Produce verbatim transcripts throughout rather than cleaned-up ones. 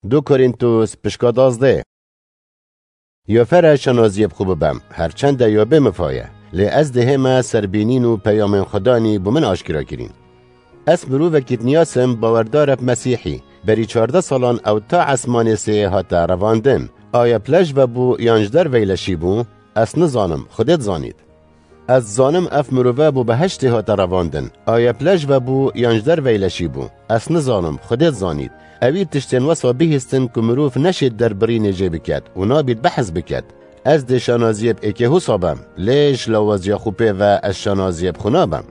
Du Korîntos pişka dazdeh. Ya fere şanaziyê bi xwe bibem, her çende ya bê mifa ye. Lê ez dihême serbînîn û peyamên Xudanî bo min aşkera kirîn. Ez mirovekî dinyasim bawerdar e bi Mesîhî. Berî çardeh salan ew ta esmanê sê hate revandin. Aya pile ji ve bû yan ji derveyî leşî bû? Ez nizanim, Xwedê dizanît. Ez dizanim ev mirove bo behiştê hate revandin. Aya pile ji ve bû yan ji derveyî leşî bû? Ez nizanim, Xwedê dizanît. Ewî tiştên wesa bihîstin ku mirov neşêt derbirînê jê biket û nabît behs biket. Ez dê şanaziyê bi êkê hosa bem, lê ji lawaziya xwe pê ve ez şanaziyê bi xwe nabem.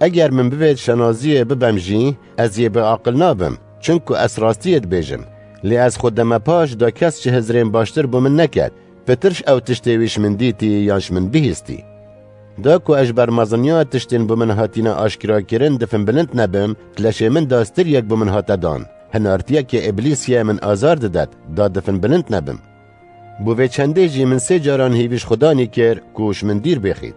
Eger min bivêt şanaziyê bibem jî, ez yê bêaqil nabim, çunku ez rastiyê dibêjim. Lê ez xwe deme paş da kes ji hizrên baştir bo min neket, pitir ji ew tiştê wî ji min dîtî yan ji min bihîstî. Da ku ez ji ber meziniya tiştên bo min hatine aşkera kirin difin bilind nebim, di leşê min de stiriyek bo min hate dan. Hinartiyekê Îblîsî ye min azar didet, da difin bilind nebim. Bo vê çendê jî min sê caran hêvî ji Xudanî kir ku ji min dîr bêxît.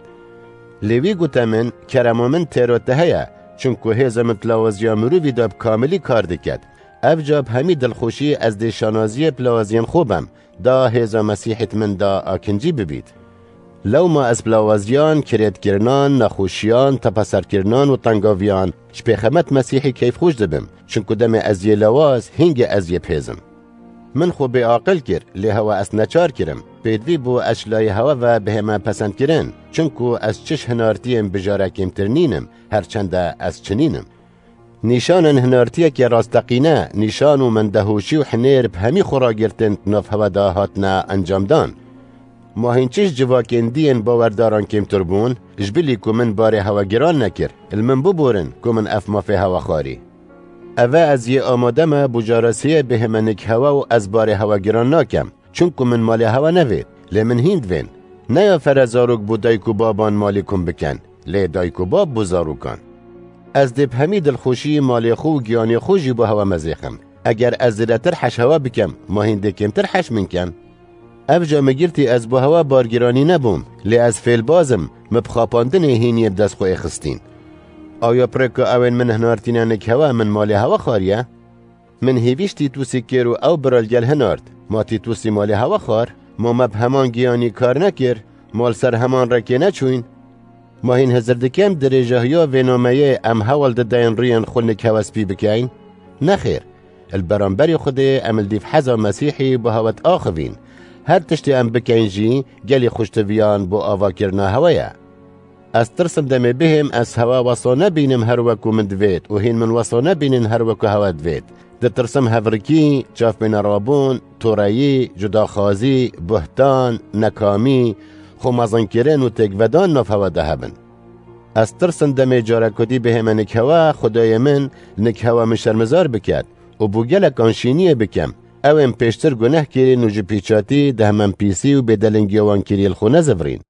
Lê wî gote min, kerema min têro te heye, çunku hêza min di lawaziya mirovî de bi kamilî kar diket. Ev ca bi hemî dilxweşî ez dê şanaziyê bi lawaziyên xwe bem, da hêza Mesîhî di min de akincî bibît. Lewma ez bi lawaziyan, kirêtkirinan, nexweşiyan, tepeserkirinan û tengaviyan ji pêxemet Mesîhî keyfxweş dibim, çunku demê ez yê lawaz, hingê ez yê bihêzim. Min xwe bêaqil kir, lê hewa ez neçar kirim. Pêdivî bû ez ji layê hewa ve bihême pesendkirin, çunku ez çi ji hinartiyên bijare kêmtir nînim, her çende ez çi nînim. Nîşanên hinartiyeke rasteqîne, nîşan û mendehoşî û hinêr bi hemî xwe ragirtin di nav hewa de hatine encamdan. Ma hîn çi ji civakên dî yên bawerdaran kêmtir bûn? Ji bilî ku min barê hewa giran nekir, li min biborin ku min ev mafê hewa xwarî. Eve ez yê amade me bo cara sêyê bihême nik hewa û ez barê hewa giran nakem, çunku min malê hewa nevêt, lê min hîn divên. Ne ya fere zarok bo dayik û baban malî kom bikin, lê dayik û bab bo zarokan. Ez dê bi hemî dilxweşî malê xwe û giyanê xwe jî bo hewa mezêxim. Eger ez zêdetir heş hewa bikim, ma hîn dê kêmtir heş min kin? Ev ca min girtî ez bo hewa bargiranî nebûm, lê ez fêlbaz im, min bi xapandinê hîn yê bi dest xwe êxistîn. Aya pirêka ewên min hinartîne nik hewa min malê hewa xwariye? Min hêvî ji Tîtûsî kir û ew bira li gel hinart. Ma Tîtûsî malê hewa xwar? Ma me bi heman giyanî kar nekir? Ma li ser heman rêkê neçûyn? Ma hîn hizir dikin dirêjahiya vê nameyê em hewl dideyên rûyên xwe nik hewa spî bikeyn? Nexêr. Li beramberî Xwedê em li dîv heza Mesîhî bo hewa diaxivîn. Her tiştê em bikeyn jî gelî xweştiviyan bo avakirina hewa ye. Ez tirsim demê bihêm ez hewa wesa nebînim her wek ku min divêt û hîn min wesa nebînin her wek ku hewa divêt. Ditirsim hevrikî, çavbênerabûn, toreyî, cudaxwazî, buhtan, nekamî, xwemezinkirin û têkvedan nav hewa de hebin. Ez tirsim demê carekudî bihême nik hewa, Xwedayê min nik hewa min şermizar biket û bo gelekan şîniyê bikem. Ew ên pêştir guneh kirîn û ji pîçatî, dehmenpîsî û bêdelingiya wan kirî li xwe nezivirîn.